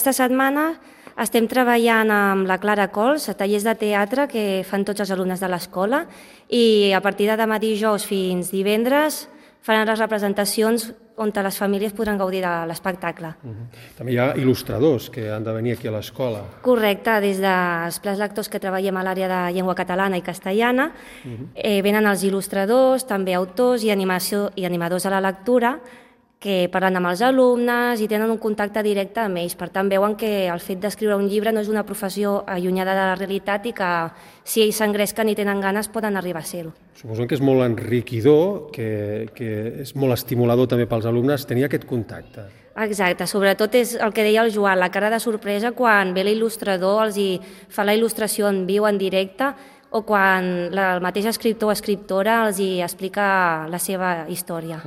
aquesta setmana estem treballant amb la Clara Cols a tallers de teatre que fan tots els alumnes de l'escola i a partir de demà dijous fins divendres faran les representacions on les famílies podran gaudir de l'espectacle. També hi ha il·lustradors que han de venir aquí a l'escola. Correcte, des dels plans lectors que treballem a l'àrea de llengua catalana i castellana, venen els il·lustradors, també autors i animadors a la lectura, que parlen amb els alumnes i tenen un contacte directe amb ells. Per tant, veuen que el fet d'escriure un llibre no és una professió allunyada de la realitat i que si ells s'engresquen i tenen ganes poden arribar a ser-ho. Suposo que és molt enriquidor, que és molt estimulador també pels alumnes tenir aquest contacte. Exacte, sobretot és el que deia el Joan, la cara de sorpresa quan ve l'il·lustrador, els fa la il·lustració en viu, en directe, o quan el mateix escriptor o escriptora els explica la seva història.